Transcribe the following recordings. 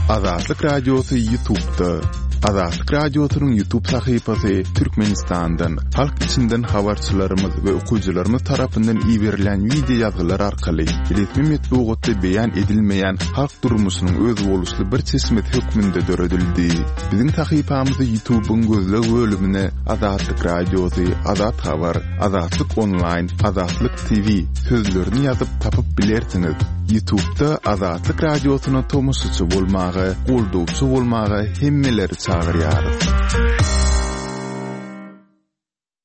Azatlyk Radiosy Ýutubda. Azatlyk Radiosynyň Ýutub sahypasy Türkmenistandan, halk içinden habarçylarymyz we okyjylarymyz tarapyndan iberilýän wideo ýazgylar arkaly resmi metbugatda beýan edilmeýän halk durmuşynyň özboluşly bir çeşmesi hökmünde döredildi. Biziň sahypamyzy Ýutubyň gözleg bölümine Azatlyk Radiosy, Azat Habar, Azatlyk Onlaýn, Azatlyk TV sözlerini ýazyp tapyp bilersiňiz. Ýutubda Azatlyk Radiosyna tomaşaçy bolmaga, goldawçy bolmaga hemmeleri çagyrýarys.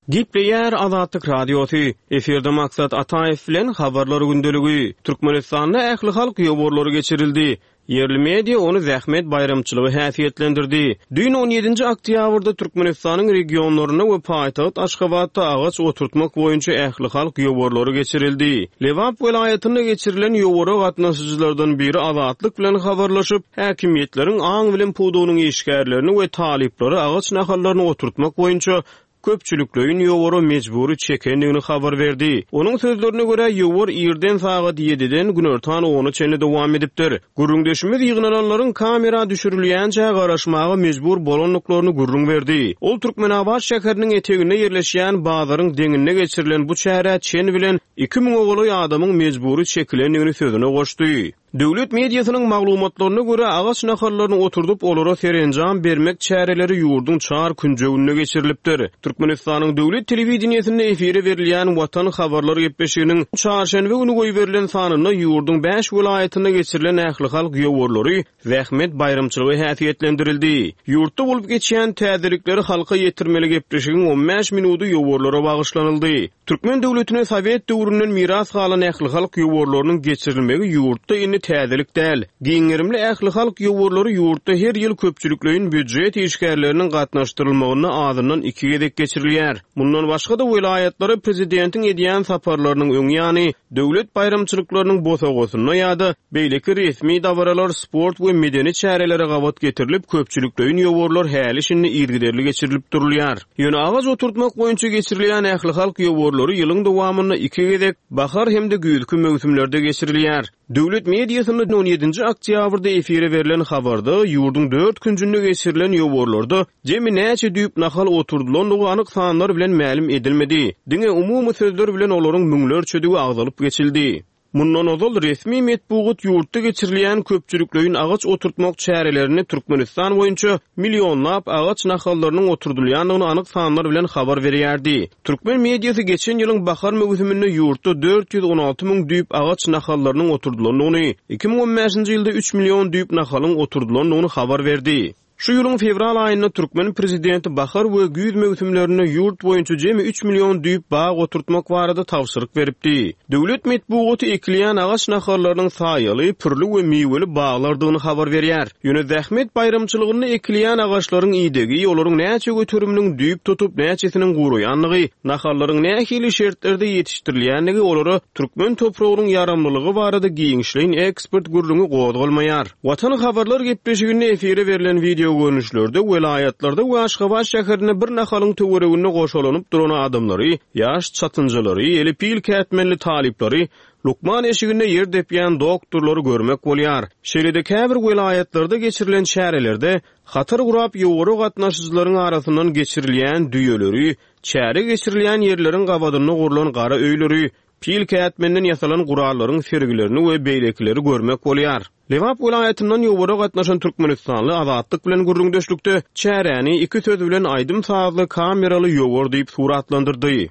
Gepleýär Azatlyk Radiosy, Efirde Maksat Ataýew bilen Habarlar gündeligi. Türkmenistanda ählihalk ýowarlary geçirildi. Ýerli media ony zähmet baýramçylygy häsiýetlendirdi. Düýn on ýedinji oktýabrda Türkmenistanyň regionlarynda we paýtagt Aşgabatda agaç oturtmak boýunça ählihalk ýowarlary geçirildi. Lebap welaýatynda geçirilen ýowara gatnaşyjylardan biri Azatlyk bilen habarlaşyp, häkimiýetleriň aň-bilim pudagynyň işgärlerini we talyplary agaç nahallaryny oturtmak boýunça köpçülikleýin ýowara mejbury çekendigini habar berdi. Onuň sözlerine görä, ýowar irden sagat ýediden günortan ona çenli dowam edipdir. Gürrüňdeşimiz ýygnananlaryň kamera düşürilýänçä garaşmaga mejbur bolandyklaryny gürrüň berdi. Ol Türkmenabat şäheriniň eteginde ýerleşýän bazaryň deňinde geçirilen bu çärä çen bilen iki müňe golaý adamyň mejbury çekilendigini sözüne goşdy. Döwlet mediasynyň maglumatlaryna görä, agaç nahallaryny oturdyp, olara serenjam bermek çäreleri ýurduň çar künjeginde geçirilipdir. Türkmenistanyň döwlet telewideniýesinde efire berilýän Watan habarlar gepleşiginiň çarşenbe güni goýberilen sanynda ýurduň bäş welaýatynda geçirilen ählihalk ýowarlary zähmet baýramçylygy häsiýetlendirildi. Ýurtda bolup geçýän täzelikleri halka ýetirmeli gepleşigiň on bäş minudy ýowarlara bagyşlanyldy. Türkmen döwletine sowet döwründen miras galan ählihalk ýowarlarynyň geçirilmegi ýurtda indi täzelik däl. Giň gerimli ählihalk ýowarlary ýurtda her ýyl köpçülikleýin býujet işgärleriniň gatnaşdyrylmagynda azyndan iki gezek geçirilýär. Mundan başga-da welaýatlara prezidentiň edýän saparlarynyň öň ýany, döwlet baýramçylyklarynyň bosagasynda ýa-da beýleki resmi dabaralar, sport we medeni çärelere gabat getirilip köpçülikleýin ýowarlar häli-şindi yzygiderli geçirilip durulýar. Ýöne agaç oturtmak boýunça geçirilýän ählihalk ýowarlary ýylyň dowamynda iki gezek, bahar hem-de güýzki möwsümlerde geçirilýär. Döwlet mediasynda on ýedinji oktýabrda efire berlen habarda ýurduň dört künjünde geçirilen ýowarlarda jemi näçe düýp nahal oturdylandygy anyk sanlar bilen mälim edilmedi. Diňe umumy sözler bilen olaryň müňlerçedigi agzalyp geçildi. Mundan ozal, resmi metbugat ýurtda geçirilýän köpçülikleýin agaç oturtmak çärelerinde Türkmenistan boýunça millionlap agaç nahallarynyň oturdylýandygyny anyk sanlar bilen habar berýärdi. Türkmen mediasy geçen ýylyň bahar möwsüminde ýurtda 416 müň düýp agaç nahallarynyň oturdylandygyny, 2015-nji ýylda üç million düýp nahalyň oturdylandygyny habar berdi. Şu ýylyň fewral aýynda türkmen prezidenti bahar we güýz möwsümlerinde ýurt boýunça jemi üç million düýp bag oturtmak barada tabşyryk beripdi. Döwlet metbugaty ekilýän agaç nahallarynyň saýaly, pürli we miweli baglardygyny habar berýär. Ýöne zähmet baýramçylygynda ekilýän agaçlaryň idegi, olaryň näçe göteriminiň düýp tutup, näçesiniň guraýandygy, nahallaryň nähili şertlerde ýetişdirilýändigi olara türkmen topragynyň ýaramlylygy barada giňişleýin ekspert gürrüňi gozgalmaýar. Watan habarlar gepleşiginde efire berlen wideogörnüşlerde welaýatlarda we Aşgabat şäherinde bir nahalyň töwereginde goşalanyp duran adamlary, ýaş çatynjalary, eli pil kätmenli talyplary, lukman eşiginde ýer depýän doktorlary görmek bolýar. Şeýle-de käbir welaýatlarda geçirilen çärelerde hatar gurap ýowara gatnaşyjylaryň arasyndan geçirilýän düýeleri, çäre geçirilýän ýerleriň gabadynda gurlan gara öýleri, Pil kätmenden ýasalan gurallaryň sergilerini we beýlekileri görmek bolýar. Lebap welaýatyndan ýowara gatnaşan türkmenistanly Azatlyk bilen gürrüňdeşlikde çäräni iki söz bilen aýdym-sazly kameraly ýowar diýip suratlandyrdy.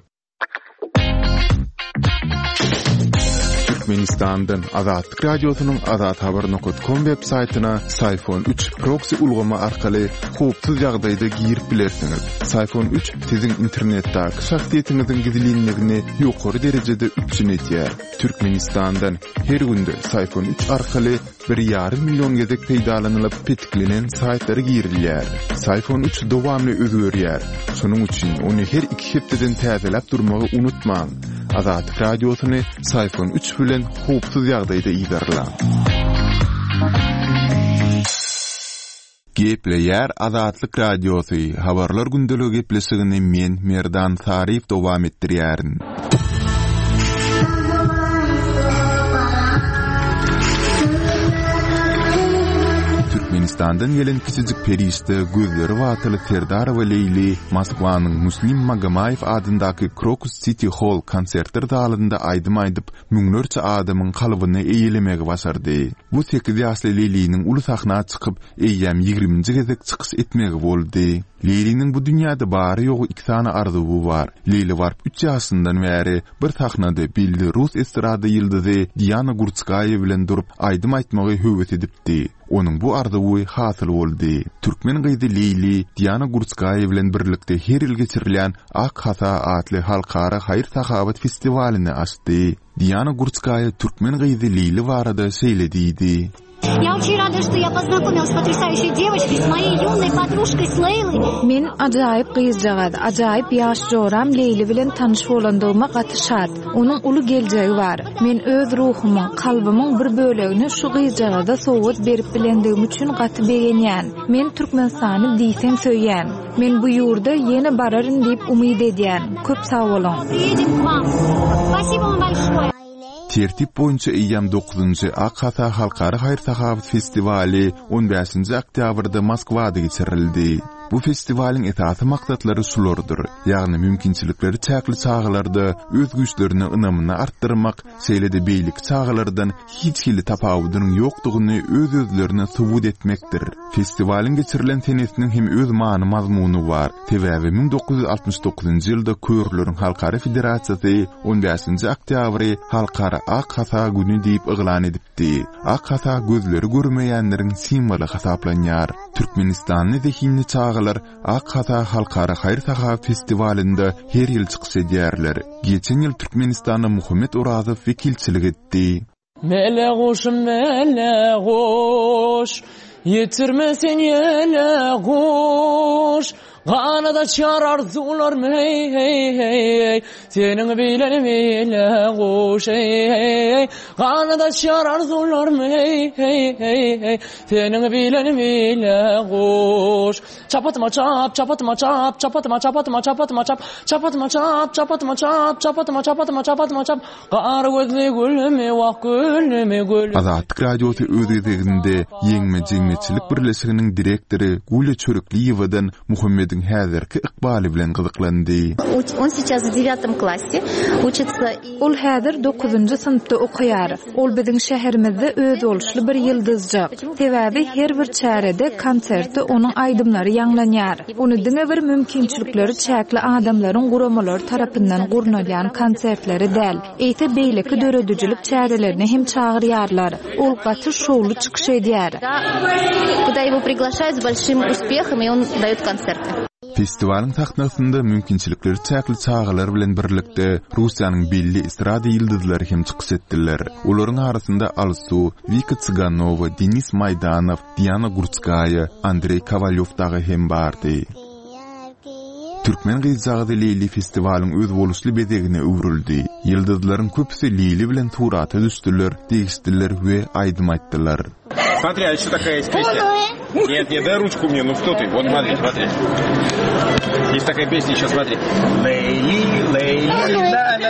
Türkmenistandan Azatlyk Radiosynyň azathabar nokat kom web saýtyna Syfon üç proksi ulgamy arkaly howpsuz ýagdaýda girip bilersiňiz. Syfon üç siziň internetdäki şahsyýetiňiziň gizlinligini ýokary derejede üpjün edýär. Türkmenistandan her günde Syfon üç arkaly bir ýarym million gezek peýdalanylyp petiklenen saýtlara girilýär. Syfon üç dowamly özgerýär. Şonuň üçin ony her iki hepdeden täzeläp durmagy unutmaň. Azatlyk Radiosyny Syfon üç bilen howpsuz ýagdaýda yzarlaň. Gepleýär Azatlyk Radiosy, Habarlar gündeligi gepleşigini men, Merdan Saryýew dowam etdirýärin. Täjigistandan gelen kiçijik perişde gözleri batyl Serdarowa Leýli Moskwanyň Muslim Magomaýew adyndaky Krokus Siti Holl konsertler zalynda aýdym aýdyp, müňlerçe adamyň kalbyny eýelemegi başardy. Bu sekiz ýaşly Leýliniň uly sahna çykyp, eýýäm ýigriminji gezek çykyş etmegi boldy. Leýliniň bu dünýäde bary-ýogy iki sany arzuwy bar. Leýli baryp üç ýaşyndan bäri bir sahnada belli rus estrada ýyldyzy Diana Gurtskaýa bilen durup aýdym aýtmagy höwes edipdi. Onuň bu arzuwy hasyl boldy. Türkmen gyzy Leýli Diana Gurtskaýa bilen birlikde her ýyl geçirilýän Ak hasa atly halkara haýyr-sahawat festiwalyny açdy. Diana Gurtskaýa türkmen gyzy Leýli barada şeýle diýdi. Ýa oçin rada, şto ýa poznakomila s potrýasaýuşeý dewoçkoý, s moýeý ýunnoý podružkoý s Leýloý. Men ajaýyp gyzjagaz, ajaýyp ýaş joram Leýli bilen tanyş bolandygyma gaty şat. Onuň uly geljegi bar. Men öz ruhumyň, kalbymyň bir bölegini şu gyzjagaza sowgat berip bilendigim üçin gaty begenýän. Men Türkmenistany diýseň söýýän. Men bu ýurda ýene bararyn diýip umyt edýän. Köp sag boluň. Priýedem k wam. Spasibo wam bolşoýe. Tertip boýunça eýýäm dokuzynjy Ak hasa halkara haýyr-sahawat festiwaly on bäşinji oktýabrda Moskwada geçirildi. Bu festiwalyň esasy maksatlary şulardyr, ýagny mümkinçilikleri çäkli çagalarda öz güýçlerine ynamyny artdyrmak, şeýle-de beýleki çagalardan hiç hili tapawudynyň ýokdugyny öz-özlerine subut etmekdir. Festiwalyň geçirilen senesiniň hem öz many-mazmuny bar. Sebäbi 1969-njy ýylda Körleriň halkara federasiýasy on bäşinji oktýabry Halkara ak hasa güni diýip yglan edipdi. Ak hasa gözleri görmeýänleriň simwoly hasaplanýar. Türkmenistanly zehinli çagalar Ak hasa halkara haýyr-sahawat festiwalynda her ýyl çykyş edýärler. Geçen ýyl Türkmenistana Muhammet Orazow wekilçilik etdi. Mele guşum mele guş Ýetirme sen ýele guş Ganat açýar arzuwlarym heý heý heý Seniň bilen mele guş heý heý Ganat açýar arzuwlarym heý heý heý Seniň bilen mele guş Çapatyma çap, çapatyma çap, çapatyma çapatyma çapatyma çap, çapatyma çap, çapatyma çap, çapatyma çapatyma çapatyma çap, Gara gözli gülümi, wah gülümi, gülümi. Azatlyk Radiosy öz gezeginde Ýeňme jemgyýetçilik birleşiginiň direktory Gulýa Çörekliýewadan Muhammediň häzirki ykbaly bilen gyzyklandy. On seýças w dewiatom klasse uçitsa i. Ol häzir dokuzynjy synpda okaýar. Ol biziň şäherimizde özboluşly bir ýyldyzjyk. Sebäbi her bir çärede, konsertde onuň aýdymlary ýaňlanýar. Ony diňe bir mümkinçilikleri çäkli adamlaryň guramalary tarapyndan gurnalýan konsertlere däl, eýse beýleki döredijilik çärelerine hem çagyrýarlar. Ol gaty şowly çykyş edýär. Kuda ýego priglaşaýut s bolşim uspehom i on daýot konserty. Festiwalyň sahnasynda mümkinçilikleri çäkli çagalar bilen birlikde Russiýanyň belli estrada ýyldyzlary hem çykyş etdiler. Olaryň arasynda Alsu, Wika Tsiganowa, Denis Maýdanow, Diana Gurtskaýa, Andreý Kowalýow dagy hem bardy. Türkmen gyzjagazy Leýli festiwalyň özboluşly bezegine öwrüldi. Ýyldyzlaryň köpüsi Leýli bilen surata düşdüler, degişdiler we aýdym aýtdylar. Смотри, а еще такая есть песня. Нет, нет, дай ручку мне, ну что ты? Вот смотри, смотри. Есть такая песня еще, смотри. Лейли, Лейли, да, да.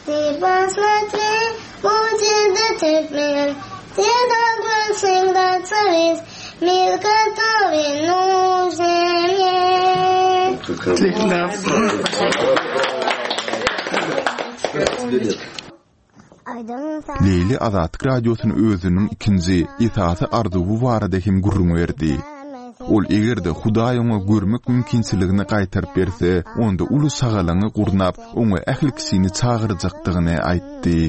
Ты посмотри, будет теперь, Ты должен всегда царить, Мир, который нужен мне. Leýli Azatlyk Radiosyna özüniň ikinji, esasy arzuwy barada hem gürrüň berdi. Ol eger-de Hudaý oňa görmek mümkinçiligini gaýtaryp berse, onda uly şagalaňy gurnap, oňa ähli kişini çagyrjakdygyny aýtdy.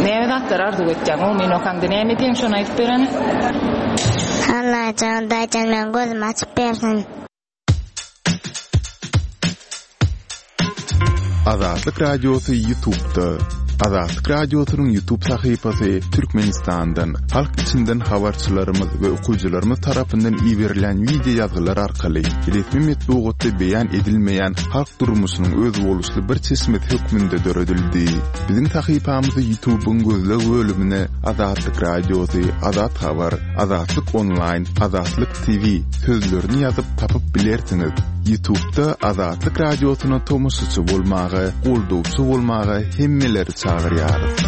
Näme zatlar arzuw etýäň? Omyn okaňda näme edýäň şony aýdyp berene. Allajan Hudaýjan meň gözümi açyp bersin. Azatlyk Radiosy Ýutubda. Azatlyk Radiosynyň Ýutub sahypasy Türkmenistandan, halk içinden habarçylarymyz we okyjylarymyz tarapyndan iberilýän wideo ýazgylar arkaly resmi metbugatda beýan edilmeýän halk durmuşynyň özboluşly bir çeşmesi hökmünde döredildi. Biziň sahypamyzy Ýutubyň gözleg bölümine Azatlyk Radiosy, Azat Habar, Azatlyk Onlaýn, Azatlyk TV sözlerini ýazyp tapyp bilersiňiz. Ýutubda Azatlyk Radiosyna tomaşaçy bolmaga, goldawçy bolmaga hemmeleri çagyrýarys.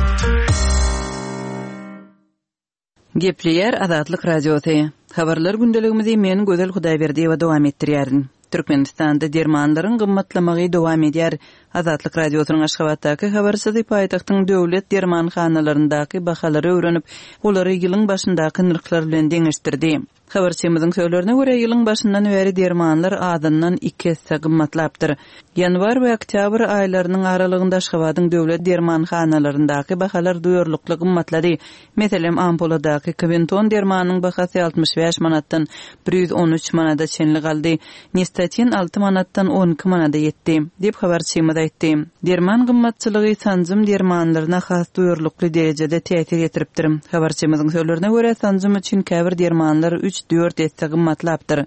Gepleýär Azatlyk Radiosy. Habarlar gündeligimizi men Gözel Hudaýberdiýewa dowam etdirýärin. Türkmenistanda dermanlaryň gymmatlamagy dowam edýär. Azatlyk Radiosynyň Aşgabatdaky habarçysy paýtagtyň döwlet dermanhanalaryndaky bahalary öwrenip, olary ýylyň başyndaky nyrhlar bilen deňeşdirdi. Habarçymyzyň sözlerine görä, ýylyň başyndan bäri dermanlar azyndan iki esse gymmatlapdyr. Ýanwar we oktýabr aýlarynyň aralygynda Aşgabadyň döwlet dermanhanalaryndaky bahalar duýarlykly gymmatlady. Meselem, ampuladaky Kwenton dermanynyň bahasy 65 manatdan 113 manada çenli galdy, Nistatin alty manatdan 12 manada ýetdi, diýip, habarçymyz aýtdy. Derman gymmatçylygy sanjym dermanlaryna has duýarlykly derejede täsir ýetiripdir. Habarçymyzyň sözlerine görä, sanjym üçin käbir dermanlar üç-dört esse gymmatlapdyr.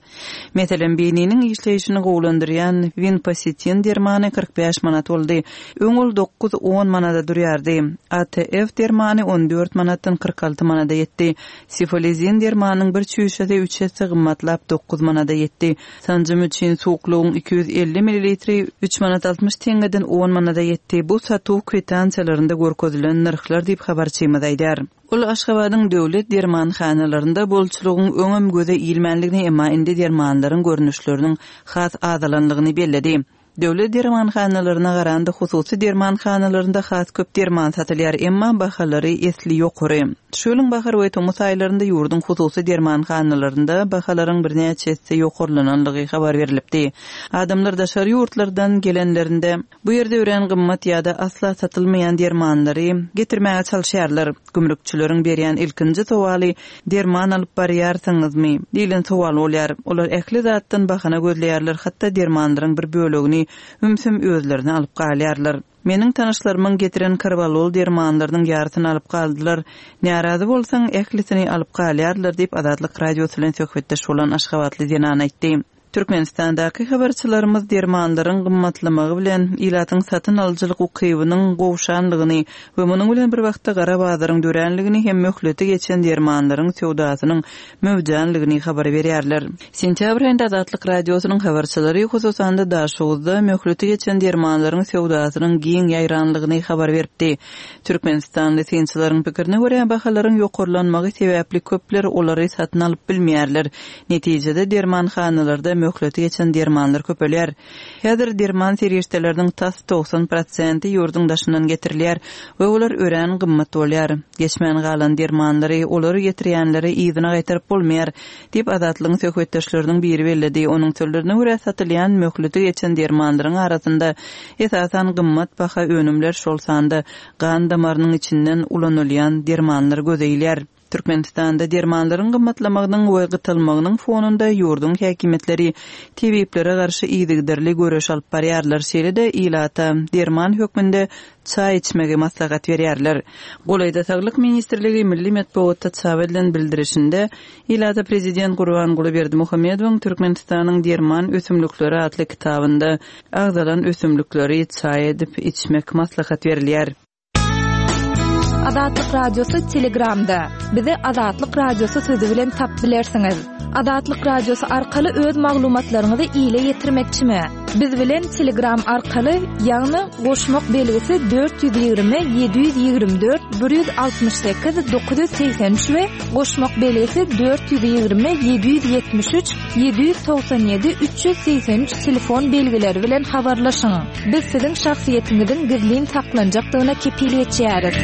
Meselem, beýniniň işleýşini gowulandyrýan Winpositin dermany 45 manat boldy. Öň ol dokuz-on manada durýardy. ATF dermany on dört manatdan 46 manada ýetdi. Sifolizin dermanynyň bir çüýşesi üç esse gymmatlap, dokuz manada ýetdi. Sanjym üçin suwuklygyň 250 millilitri üç manat 60 teňňeden on manada ýetdi. Bu satuw kwitansiýalarynda görkezilen nyrhlar diýip, habarçymyz aýdýar. Ol Aşgabadyň döwlet dermanhanalarynda bolçulygyň öňem göze ilmänligini, emma indi dermanlaryň görnüşleriniň has azalanlygyny belledi. Döwlet dermanhanalaryna garanda hususy dermanhanalarynda has köp derman satylýar, emma bahalary esli ýokary. Şu ýylyň bahar we tomus aýlarynda ýurduň hususy dermanhanalarynda bahalaryň birnäçe esse ýokarlananlygy habar berlipdi. Adamlar daşary ýurtlardan gelenlerinde, bu ýerde örän gymmat ýa-da asla satylmaýan dermanlary getirmäge çalyşýarlar. Gümrükçileriň berýän ilkinji sowaly Derman alyp barýarsyňyzmy? diýlen sowal bolýar. Olar ähli zatdan bahana gözleýärler, hatda dermanlaryň bir bölegini ümsüm özlerine alyp galýarlar. Meniň tanyşlarymyň getiren karwalol dermanlarynyň ýarysyny alyp galdylar. Närazy bolsaň, ählisini alyp galýarlar diýip, Azatlyk Radiosy bilen söhbetdeş bolan aşgabatly zenan aýtdy. Türkmenistandaky habarçylarymyz dermanlaryň gymmatlamagy bilen ilatyň satyn alyjylyk ukybynyň gowşanlygyny we munuň bilen bir wagtda gara bazaryň döränligini hem möhleti geçen dermanlaryň söwdasynyň möwjänligini habar berýärler. Sentýabr aýynda Azatlyk Radiosynyň habarçylary, hususan-da Daşoguzda möhleti geçen dermanlaryň söwdasynyň giň ýaýranlygyny habar beripdi. Türkmenistanly synçylaryň pikirine görä, bahalaryň ýokarlanmagy sebäpli köpler olary satyn alyp bilmeýärler. Netijede, dermanhanalarda möhleti geçen dermanlar köpelýär. Häzir derman serişdeleriniň tas 90 prosenti ýurduň daşyndan getirilýär we olar örän gymmat bolýar. Geçmän galan dermanlary olary getirýänlere yzyna gaýtaryp bolmaýar, diýip, Azatlygyň söhbetdeşleriniň biri belledi. Onuň sözlerine görä, satylýan möhleti geçen dermanlaryň arasynda, esasan, gymmat baha önümler, şol sanda gan damarynyň içinden ulanylýan dermanlar göze ilýär. Türkmenistanda dermanlaryň gymmatlamagynyň we gytalmagynyň fonunda ýurduň häkimiýetleri tebiplere garşy yzygiderli göreş alyp barýarlar, şeýle-de ilata derman hökmünde çaý içmegi maslahat berýärler. Golaýda Saglyk ministrligi milli metbugatda çap edilen bildirişinde ilata prezident Gurbanguly Berdimuhamedowyň Türkmenistanyň derman ösümlikleri atly kitabynda agzalan ösümlikleri çaý edip içmek maslahat berilýär. Azatlyk Radiosy Telegramda. Bizi Azatlyk Radiosy sözi bilen tapyp bilersiňiz. Azatlyk Radiosy arkaly öz maglumatlaryňyzy ile ýetirmekçimi? Biz bilen Telegram arkaly, ýagny goşmak belgisi 420 724 168 983 we goşmak belgisi 420 773 797 383 telefon belgileri bilen habarlaşyň. Biz siziň şahsyýetiňiziň gizlin saklanjakdygyna kepil geçýäris.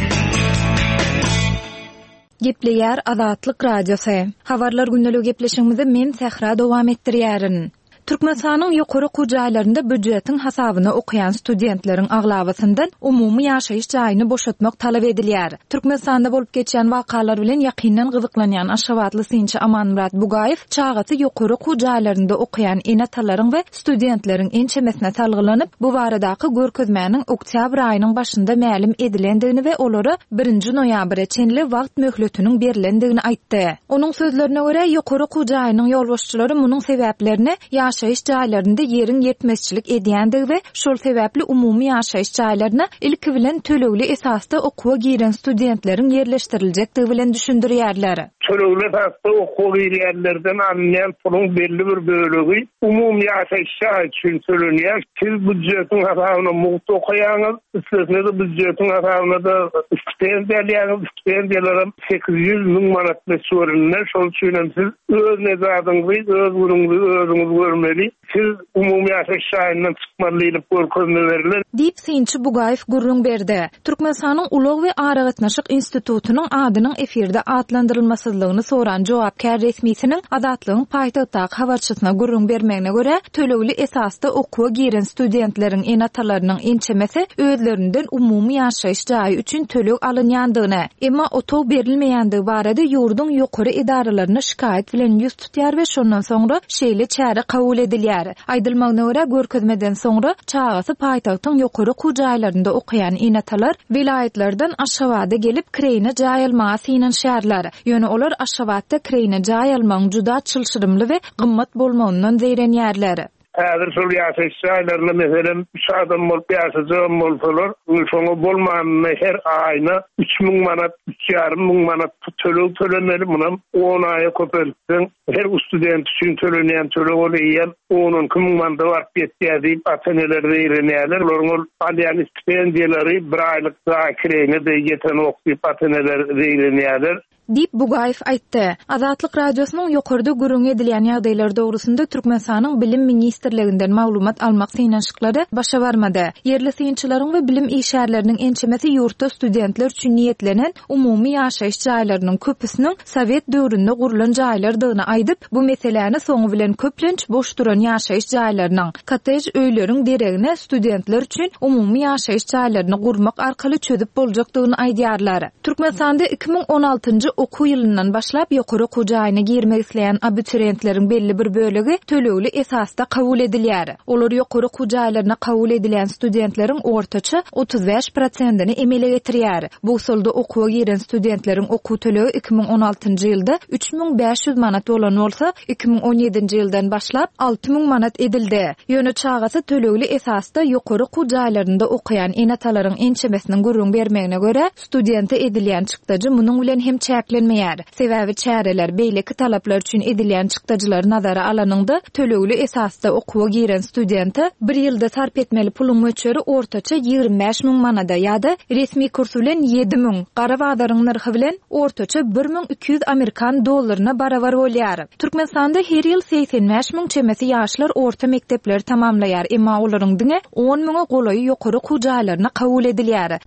Gepleýär Azatlyk Radiosy. Habarlar gündeligi gepleşigimizi men Sähra dowam etdirýärin. Türkmenistanyň ýokary okuw jaýlarynda býujetiň hasabyna okaýan studentleriň aglabasyndan umumy ýaşaýyş jaýyny boşatmak talap edilýär. Türkmenistanda bolup geçýän wakalar bilen ýakyndan gyzyklanýan aşgabatly synçy Amanmyrat Bugaýew çagasy ýokary okuw jaýlarynda okaýan ene-atalaryň we studentleriň ençemesine salgylanyp, bu baradaky görkezmäniň oktýabr aýynyň başynda mälim edilendigini we olara birinji noýabra çenli wagt möhletiniň berlendigini aýtdy. Onuň sözlerine görä, ýokary okuw jaýynyň ýolbaşçylary munuň sebäplerini ýaşaýyş jaýlarynda ýeriň ýetmezçilik edýändigi we şol sebäpli umumy ýaşaýyş jaýlaryna ilki bilen tölegli esasda okuwa giren studentleriň ýerleşdiriljekdigi bilen düşündirýärler. Tölegli esasda okuwa girýänlerden alynýan puluň belli bir bölegi umumy ýaşaýyş jaýy üçin tölenýär. Siz býujetiň hasabyna mugt okaýaňyz, üstesine-de býujetiň hasabyna-da stipendiýa alýaňyz, stipendiýalaram 800, 1000 manat möçberinde. Şol üçin hem siz öz nejadyňyzy, öz günüňizi özüňiz görmeli. Siz umumy ýaşaýyş jaýyndan çykmaly diýlip görkezme berler. Diýip, synçy Bugaýew gürrüň berdi. Türkmenistanyň Ulag we aragatnaşyk institutynyň adynyň efirde atlandyrylmasyzlygyny soran jogapkär resmisiniň Azatlygyň paýtagtdaky habarçysyna gürrüň bermegine görä, tölegli esasda okuwa giren studentleriň ene-atalarynyň ençemesi özlerinden umumy ýaşaýyş jaýy üçin töleg alynýandygyny, emma otag berilmeýändigi barada ýurduň ýokary edaralaryna şikaýat bilen ýüz tutýar we şondan soňra şeýle çäre kabul edilýär. Aýdylmagyna görä, görkezmeden soňra çagasy paýtagtyň ýokary okuw jaýlarynda okaýan ene-atalar welaýatlardan Aşgabada gelip kireýine jaý almaga synanyşýarlar. Ýöne olar Aşgabatda kireýine jaý almagyň juda çylşyrymly we gymmat bolmagyndan zeýrenýärler. Häzir şol ýaşaýyş jaýlarynda, meselem, üç adam bolup ýaşajagam bolsalar, şoňa bolmanynda her aýyna 3000 manat, üç ýarym müň manat töleg tölemeli, munam on aýa köpeltseň, her student üçin tölenýän töleg ol eýýäm on-on iki müň manada baryp ýetýär diýip, ata-eneler zeýrenýärler. Olaryň ol alýan stipendiýalary bir aýlyk jaý kireýine-de ýetenok diýip, ata-eneler zeýrenýärler. Diýip, Bugaýew aýtdy. Azatlyk Radiosynyň ýokarda gürrüňi edilýän ýagdaýlar dogrusynda Türkmenistanyň Bilim ministrliginden maglumat almak synanyşyklary başa barmady. Ýerli synçylaryň we bilim işgärleriniň ençemesi ýurtda studentler üçin niýetlenen umumy ýaşaýyş jaýlarynyň köpüsiniň sowet döwründe gurlan jaýlardygyny aýdyp, bu meseläni soňy bilen köplenç boş duran ýaşaýyş jaýlarynyň, kottej öýleriň deregine studentler üçin umumy ýaşaýyş jaýlaryny gurmak arkaly çözüp boljakdygyny aýdýarlar. Türkmenistanda 2016-njy okuw ýylyndan başlap ýokary okuw jaýyna girmek isleýän abiturientleriň belli bir bölegi tölegli esasda kabul edilýär. Olar ýokary okuw jaýlaryna kabul edilýän studentleriň ortaça 35 prosentini emele getirýär. Bu usulda okuwa giren studentleriň okuw tölegi 2016-njy ýylda 3500 manat bolan bolsa, 2017-nji ýyldan başlap 6000 manat edildi. Ýöne çagasy tölegli esasda ýokary okuw jaýlarynda okaýan ene-atalaryň ençemesiniň gürrüň bermegine görä, studente edilýän çykdajy munuň bilen hem çäklenmeýär. Sebäbi çäreler, beýleki talaplar üçin edilýän çykdajylary nazara alanyňda, tölegli esasda okuwa giren studente bir ýylda sarp etmeli puluň möçberi ortaça 25 müň manada ýa-da resmi kurs bilen 7000, gara bazaryň nyrhy bilen ortaça 1200 amerikan dollaryna barabar bolýar. Türkmenistanda her ýyl 85 müň çemesi ýaşlar orta mekdepleri tamamlaýar, emma olaryň diňe on müňe golaýy ýokary okuw jaýlaryna kabul edilýär.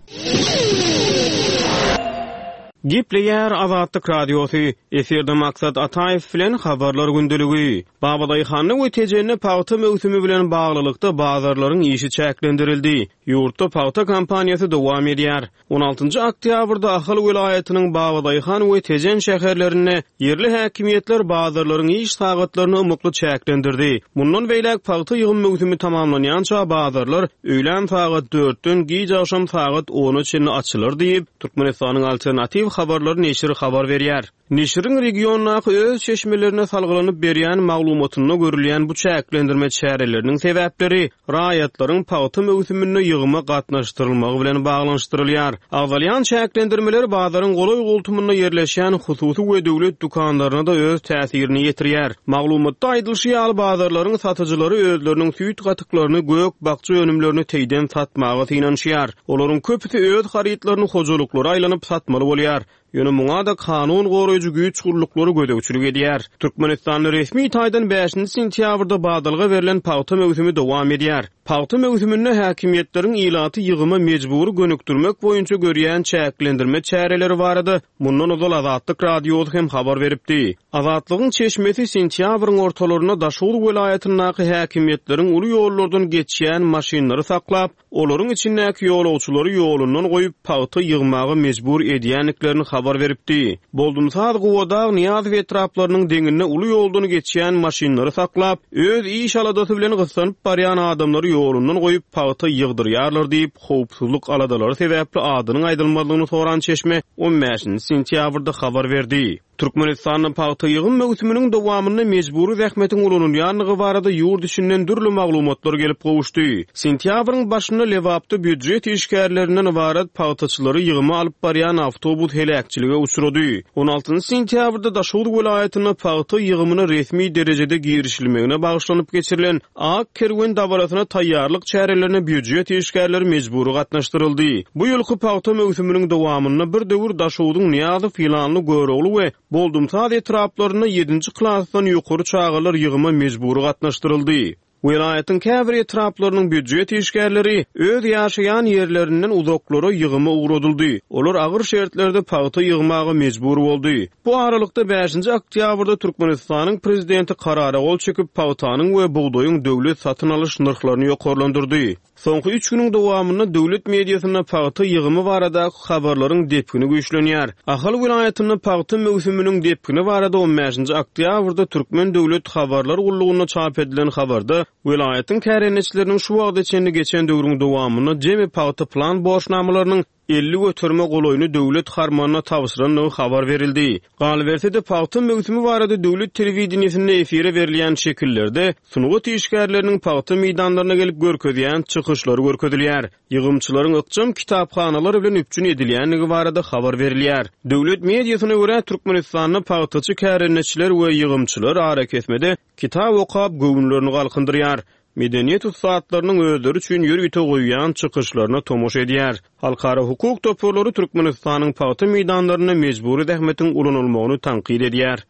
Gepleýär Azatlyk Radiosy, Efirde Maksat Ataýew bilen Habarlar gündeligi. Babadaýhanda we Tejende pagta möwsümi bilen baglylykda bazarlaryň işi çäklendirildi. Ýurtda pagta kampaniýasy dowam edýär. On altynjy oktýabrda Ahal welaýatynyň Babadaýhan we Tejen şäherlerinde ýerli häkimiýetler bazarlaryň iş sagatlaryny ymykly çäklendirdi. Mundan beýläk pagta ýygym möwsümi tamamlanýança bazarlar öýlän sagat dörtden giç agşam sagat ona çenli açylar diýip, Türkmenistanyň Alternatiw habarlary neşiri habar berýär. Neşiriň regiondaky öz çeşmelerine salgylanyp berýän maglumatynda görülýän bu çäklendirme çäreleriniň sebäpleri raýatlaryň pagta möwsüminde ýygyma gatnaşdyrylmagy bilen baglanyşdyrylýar. Agzalýan çäklendirmeler bazaryň golaý-goltumynda ýerleşýän hususy we döwlet dükanlaryna-da öz täsirini ýetirýär. Maglumatda aýdylyşy ýaly, bazarlaryň satyjylary özleriniň süýt-gatyklaryny, gök-bakja önümlerini teýden satmaga synanyşýar. Olaryň köpüsi öz harytlaryny hojalyklara aýlanyp satmaly bolýar. Ýöne muňa-da kanun goraýjy güýç gulluklary gözegçilik edýär. Türkmenistanda resmi taýdan bäşinji sentýabrda badalga berlen pagta möwsümi dowam edýär. Pagta möwsüminde häkimiýetleriň ilaty ýygyma mejbury gönükdirmek boýunça görýän çäklendirme çäreleri barada mundan ozal Azatlyk Radiosy hem habar beripdi. Azatlygyň çeşmesi sentýabryň ortalarynda Daşoguz welaýatyndaky häkimiýetleriň uly ýollardan geçýän maşynlary saklap, olaryň içindäki ýolagçylary ýolundan goýup, pagta ýygmaga mejbur edýändiklerini habar beripdi. Boldumsaz, Gubadag, Nyýazow etraplarynyň deňinde uly ýoldan geçýän maşynlary saklap, öz iş-aladasy bilen gyssanyp barýan adamlary ýolundan goýup, pagta ýygdyrýarlar diýip, howpsuzlyk aladalary sebäpli adynyň aýdylmazlygyny soran çeşme on bäşinji sentýabrda habar berdi. Türkmenistanda pagta ýygym möwsüminiň dowamynda mejbury zähmetiň ulanylýandygy barada ýurt içinden dürli maglumatlar gelip gowuşdy. Sentýabryň başynda Lebapda býujet işgärlerinden ybarat pagtaçylary ýygyma alyp barýan awtobus heläkçilige uçrady. On altynjy sentýabrda Daşoguz welaýatynda pagta ýygymyna resmi derejede girişilmegine bagyşlanyp geçirilen Ak kerwen dabarasyna taýýarlyk çärelerine býujet işgärleri mejbury gatnaşdyryldy. Bu ýylky pagta möwsüminiň dowamynda bir döwür Daşogzuň Nyýazow, Ýylanly, Görogly we Boldumsaz etraplarynda ýedinji klasdan ýokary çagalar ýygyma mejbury gatnaşdyryldy. Welaýatyň käbir etraplarynyň býujet işgärleri öz ýaşaýan ýerlerinden uzaklara ýygyma ugradyldy. Olar agyr şertlerde pagta ýygmaga mejbur boldy. Bu aralykda, bäşinji oktýabrda Türkmenistanyň prezidenti karara gol çekip, pagtanyň we bugdaýyň döwlet satyn alyş nyrhlaryny ýokarlandyrdy. Soňky üç günüň dowamynda döwlet mediasynda pagta ýygymy baradaky habarlaryň depgini güýçlenýär. Ahal welaýatynda pagta möwsüminiň depgini barada on bäşinji oktýabrda Türkmen döwlet habarlar gullugynda çap edilen habarda welaýatyň kärendeçileriniň şu wagta çenli geçen döwrüň dowamynda jemi pagta plan borçnamalarynyň 50 göterime golaýyny döwlet harmanyna tabşyrandygy habar berildi. Galyberse-de, pagta möwsümi barada döwlet telewideniýesinde efire berilýän şekillerde sungat işgärleriniň pagta meýdanlaryna gelip görkezýän çykyşlary görkezilýär. Ýygymçylaryň ykjam kitaphanalar bilen üpjün edilýändigi barada habar berilýär. Döwlet mediasyna görä, Türkmenistanda pagtaçy kärendeçiler we ýygymçylar arakesmede kitap okap, göwünlerini galkyndyrýar. Medeniýet ussatlarynyň özleri üçin ýörite goýýan çykyşlaryna tomaşa edýär. Halkara hukuk toparlary Türkmenistanyň pagta meýdanlarynda mejbury zähmetiň ulanylmagyny tankyt edýär.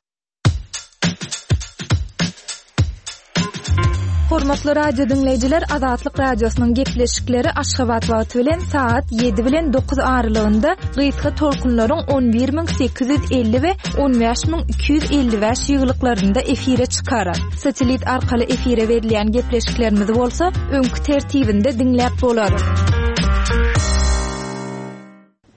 Hormatly radio diňleýjiler, Azatlyk Radiosynyň gepleşikleri Aşgabat wagty bilen sagat 7 bilen 9 aralygynda gysga tolkunlaryň 11850 we 15255 ýygylyklarynda efire çykar. Satelit arkaly efire berilýän gepleşiklerimizi bolsa öňki tertibinde diňläp bolar.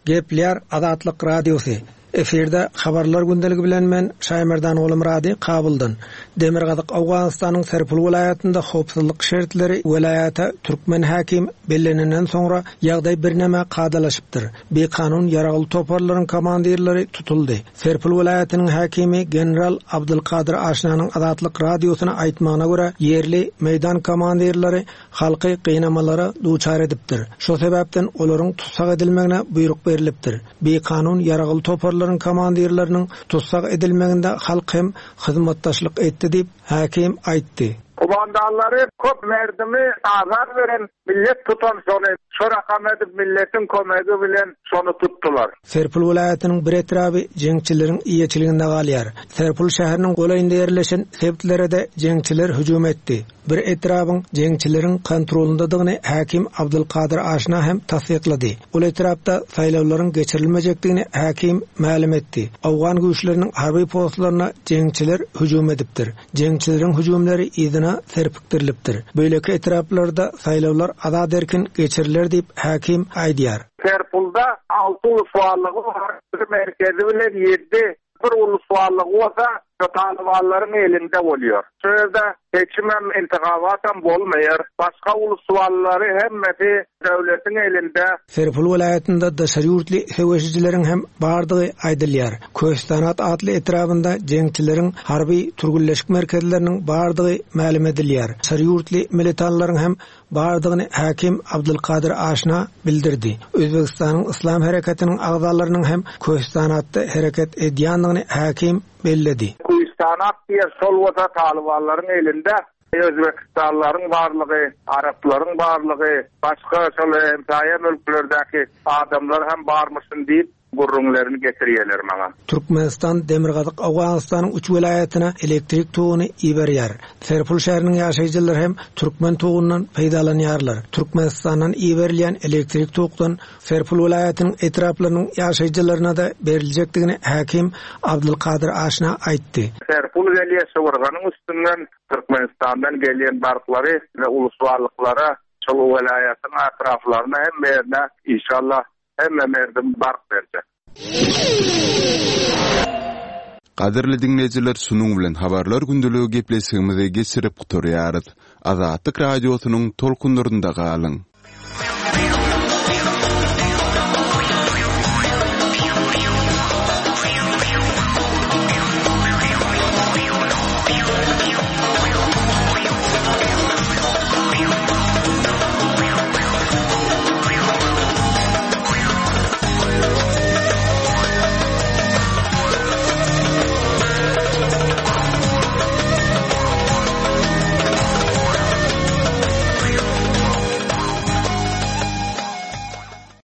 Gepleýär Azatlyk Radiosy. Efirde Habarlar gündeligi bilen men Şaýmerdan Gulumyrady Kabuldan. Demirgazyk Owganystanyň Serpul welaýatynda howpsuzlyk şertleri welaýata türkmen häkim bellenenden soňra ýagdaý birneme kadalaşypdyr. Bikanun ýaragly toparlaryň komandirleri tutuldy. Serpil welaýatynyň häkimi general Abdylkadyr Aşnanyň Azatlyk Radiosyna aýtmagyna görä, ýerli meýdan komandirleri halky gynamalara duçar edipdir. Şo sebäpden olaryň tussag edilmegine buýruk berlipdir. Bikanun ýaragly toparlaryň komandirleriniň tussag edilmeginde halk hem hyzmatdaşlyk etdi diýip, häkim aýtdy. Komandanlary köp merdimi azar beren Millet tutan şony, şo rakam edip milletiň komegi bilen şony tutdular. Serpil welaýatynyň bir etraby jeňçileriň eýeçiliginde galýar. Serpil şäheriniň golaýynda ýerleşen sebitlere-de jeňçiler hüjüm etdi. Bir etrabyň jeňçileriň kontrolyndadygyny häkim Abdylkadyr Aşna hem tassyklady. Ol etrapda saýlawlaryň geçirilmejekdigini häkim mälim etdi. Owgan güýçleriniň harby postlaryna jeňçiler hüjüm edipdir. Jeňçileriň hüjümleri yzyna serpikdirilipdir. Beýleki etraplarda saýlawlar azat-erkin geçiriler diýip, häkim aýdýar. Serpulda alty ulusbarlygy bar, bir merkezi bilen ýedi, bir ulusbarlygy bolsa şu talybanlaryň elinde bolýar. Şu ýerde seçimem, intihabatam bolmaýar. Başga ulusbarlylary hemmesi döwletiň elinde. Serpil welaýatynda daşary ýurtly söweşijileriň hem bardygy aýdylýar. Köstanat atly etrabynda jeňçileriň harby türgenleşik merkezleriniň bardygy mälim edilýär. Daşary ýurtly militanlaryň hem bardygyny häkim Abdulkadyr Aşna bildirdi. Özbegistanyň Yslam hereketiniň agzalarynyň hem Köstanatda hereket edýändigini häkim belledi. Köstanat diýen şol bolsa talybanlaryň elinde. Özbekistanlylaryň barlygy, araplaryň barlygy, başga şol hemsaýa mülklerdäki adamlar hem barmyşyn diýip, gürrüňlerini getirýärler maňa. Türkmenistan Demirgazyk Owganystanyň üç welaýatyna elektrik toguny iberýär. Serpul şäheriniň ýaşaýjylary hem türkmen togundan peýdalanýarlar. Türkmenistandan iberilýän elektrik tokdan Serpul welaýatynyň etraplarynyň ýaşaýjylaryna-da beriljekdigini häkim Abdylkadyr Aşna aýtdy. Serpul gelýär Şywyrganyň üstünden Türkmenistandan gelýän barklary we ulusbarlyklara şol welaýatyň atraflaryna hemme ýerine inşallah hemme merdim bark berjek. Gadyrly diňleýjiler şunuň bilen habarlar gündeligi gepleşigimizi geçirip gutarýarys. Azatlyk Radiosynyň tolkunlarynda galyň.